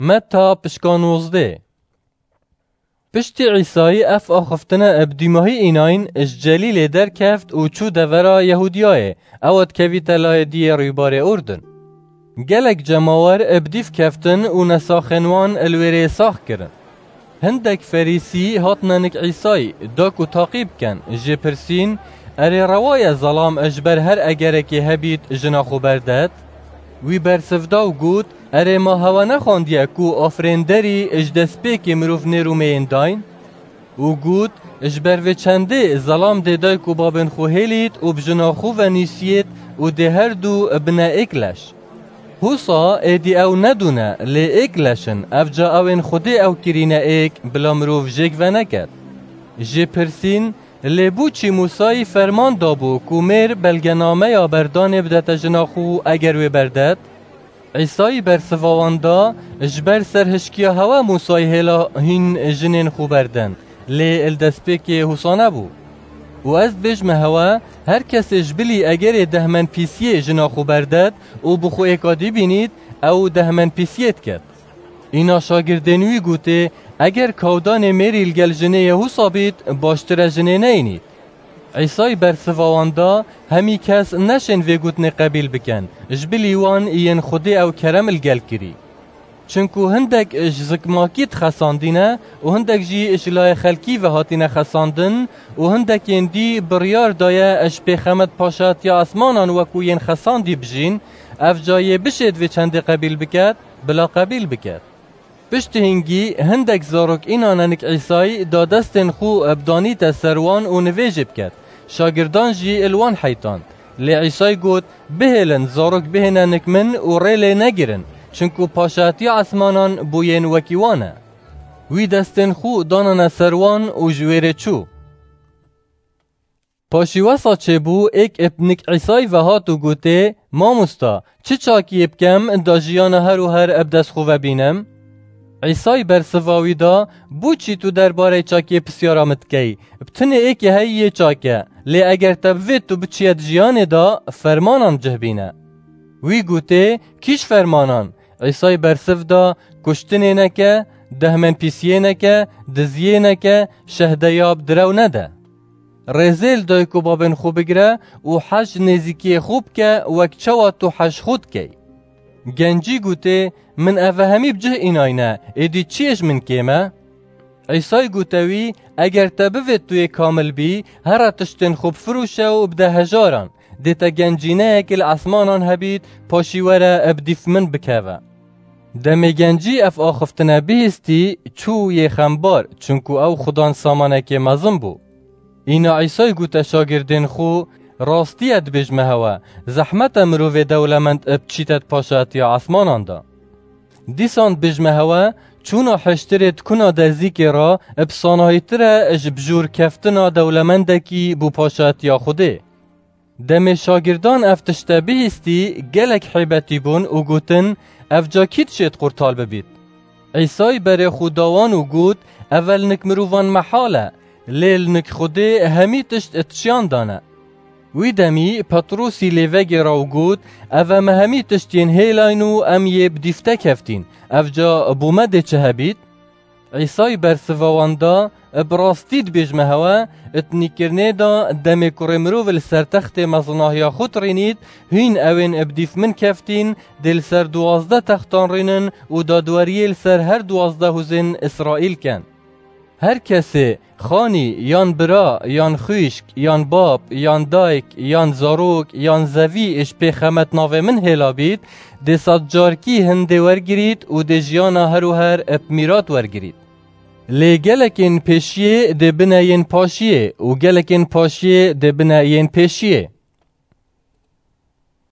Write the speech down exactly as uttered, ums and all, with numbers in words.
Meta pişka nozdeh. Piştî Îsayî ev axiftina bi dîmahî înayîn ji Celîlê derkeft û çû devera Yehûdiyayê, ew dikevîte layê diyê rûybarê Urdun. Gelek cemawer bi dîf keftin û nesaxên wan li wêrê sax kirin. Hindek Ferîsî hatine nik Îsayî, da ku taqî bikin, jê pirsîn, "Erê, rewa ye zelam ji ber her egerekê hebît jina xwe berdet?" Wî bersiv da û got, "Erê, ma hewe nexwandiye ku afirênderî ji destpêkê mirov nêr û meyên dayîn?" Û got, "Ji ber vê çendê zelam dê dayik û babên xwe hêlît û bi jina xwe ve nîsiyêt û dê her du bine êk leş. Husa êdî ew ne du ne, lê êk leş in, evca ew ên Xwedê ew kirîne êk, bila mirov jêk veneket." Jê pirsîn, "Lê bo çi Mûsayî ferman dabû ku mêr belgenameya berdanê bidete jina xwe eger wê berdet?" Îsayî bersiva wan da, "Ji ber serhişkiya hewe Mûsayî hêla hîn jinên xwe berdin, lê li destpêkê husa nebû. Û ez dibêjme hewe, her kesê ji bilî egerê dehmenpîsiyê jina xwe berdet û bi xwe êkadî bînît, ew dehmenpîsiyê diket." Îna şagirdên wî gotê, "Eger kawdanê mêrî li gel jinê yê husa bît, baştir e jinê neyînît." Îsayî bersiva wan da, "Hemî kes neşên vê gotinê qebîl bikin, ji bilî wan yên Xwedê ew kerem li gel kirî. Çinku hindek ji zikmakî dixesandîne û hindek jî ji layê xelkî ve hatîne xesandin û hindekên dî biryar daye ji pêxemet paşatiya esmanan wekû yên xesandî bijîn, evca yê bişêt vê çendê qebîl biket, bila qebîl biket." Piştî hingî hindek zarok îna nenik Îsayî da destên xwe bidanîte ser wan û nivêjê biket. Şagirdan jî li wan heytand. Lê Îsayî got, "Bihêlin, zarok bihêne nik min û rê lê negirin, çinku paşatiya esmanan bo yên wekî wan e." Wî destên xwe danane ser wan û ji wêrê çû. Paşî wesa çêbû, êk ib nik Îsayî ve hat û gotê, "Mamosta, çi çakiyê bikem da jiyana her û her ib dest xwe ve bînim?" Îsayî bersiva wî da, "Bo çi tu derbarê çakiyê pisyara min dikey? Bi tinê êkê heyî yê çak e, lê eger te bivêt tu biçiye di jiyanê de, fermanan cih bîne." Wî gotê, "Kîj fermanan?" Îsayî bersiv da, "Kuştinê neke, dehmenpîsiyê neke, diziyê neke, şehdeya bi direw nede." Rêzê li dayik û babên xwe bigire û hej nêzîkiyê xwe bike wek çawa tu hej xwe dikey. Gencî gotê, "Min eve hemî bi cih înayne, êdî çi yê ji min kêm e?" Îsay gote wî, "Eger te bivêt tu yê kamil bî, here tiştên xwe bifiroşe û bide hejaran, dê te gencîneyekê li esmanan hebît, paşî were bi dîf min bikeve." Demê gencî ev axiftina bihîstî, çû yê xembar, çunku ew xudan samanekê mezin bû. Îna Îsay gote şagirdên xwe, "Rastiye dibêjme hewe, zehmet e mirovê dewlemend biçîte di paşatiya esmanan de." Dîsan dibêjme hewe, çûna hiştirê di kuna derzîkê re bi sanahîtir e ji bijûrkeftina dewlemendekî bo paşatiya Xwedê. Demê şagirdan ev tişte bihîstî, gelek hêbetî bûn û gotin, "Ev ca kî dişêt qurtal bibît?" Îsay berê xwe da wan û got, "Eve li nik mirovan mehal e, lê li nik Xwedê hemî tişt di çiyan de ne." Wî demî Petrûsî lê vegêra û got, "Eve me hemî tişt yên hêlayn û em yê bi dîf te keftîn. Ev ca bo me dê çi hebît?" Îsay bersiva wan da, "Bi rastî dibêjme hewe, di nîkirinê de demê Kurê Mirov li ser textê mezinahiya xwe dirînît, hîn ewên bi dîf min keftîn, dê li ser duwazdeh textan rînin û dadweriyê li ser her duwazdeh hûzên Îsraîl ken. Her kesê xanî, yan bira, yan xwişk, yan bab, yan dayik, yan zarok, yan zevî ji pêxemet navê min hêla bît, dê sedcarkî hindê wergirît û dê jiyana her û her bi mîrat wergirît. Lê gelekên pêşiyê dê bine yên paşiyê û gelekên paşiyê dê bine yên pêşiyê."